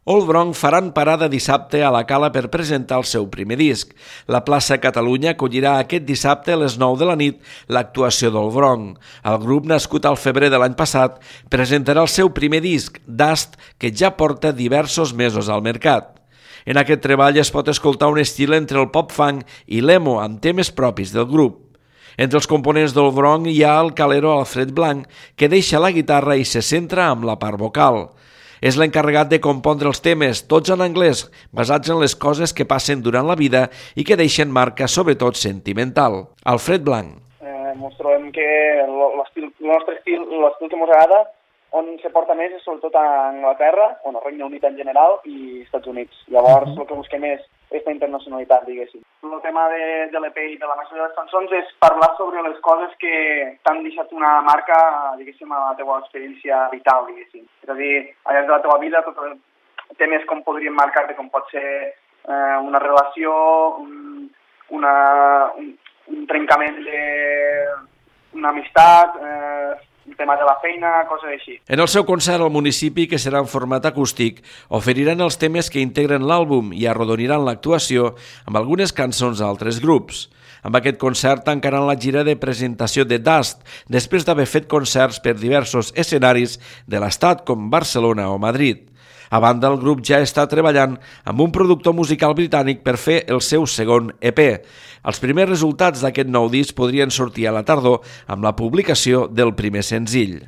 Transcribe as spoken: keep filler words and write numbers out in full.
Old Bronc faran parada dissabte a la Cala per presentar el seu primer disc. La plaça Catalunya acollirà aquest dissabte a les nou de la nit l'actuació d'Old Bronc. El grup, nascut al febrer de l'any passat, presentarà el seu primer disc, Dust, que ja porta diversos mesos al mercat. En aquest treball es pot escoltar un estil entre el pop-funk i l'emo, amb temes propis del grup. Entre els components d'Old Bronc hi ha el calero Alfred Blanc, que deixa la guitarra i se centra en la part vocal. És l'encarregat de compondre els temes, tots en anglès, basats en les coses que passen durant la vida i que deixen marca, sobretot sentimental. Alfred Blanc. Eh, ens trobem que l'estil, el nostre estil, l'estil que ens agrada, on se porta més és sobretot a Anglaterra, on el Regne Unit en general i Estats Units. Llavors, uh-huh. el que busquem és aquesta internacionalitat, diguéssim. El tema de, de l'E P i de la majoria de les cançons és parlar sobre les coses que t'han deixat una marca, diguéssim, a la teva experiència vital, diguéssim. És a dir, al llarg de la teva vida, tots temes com podrien marcar-te, com pot ser eh, una relació, un, una, un, un trencament de una amistat, eh, un tema de la feina, coses així. En el seu concert al municipi, que serà en format acústic, oferiran els temes que integren l'àlbum i arrodoniran l'actuació amb algunes cançons d'altres grups. Amb aquest concert tancaran la gira de presentació de Dust, després d'haver fet concerts per diversos escenaris de l'estat com Barcelona o Madrid. A banda, el grup ja està treballant amb un productor musical britànic per fer el seu segon E P. Els primers resultats d'aquest nou disc podrien sortir a la tardor amb la publicació del primer senzill.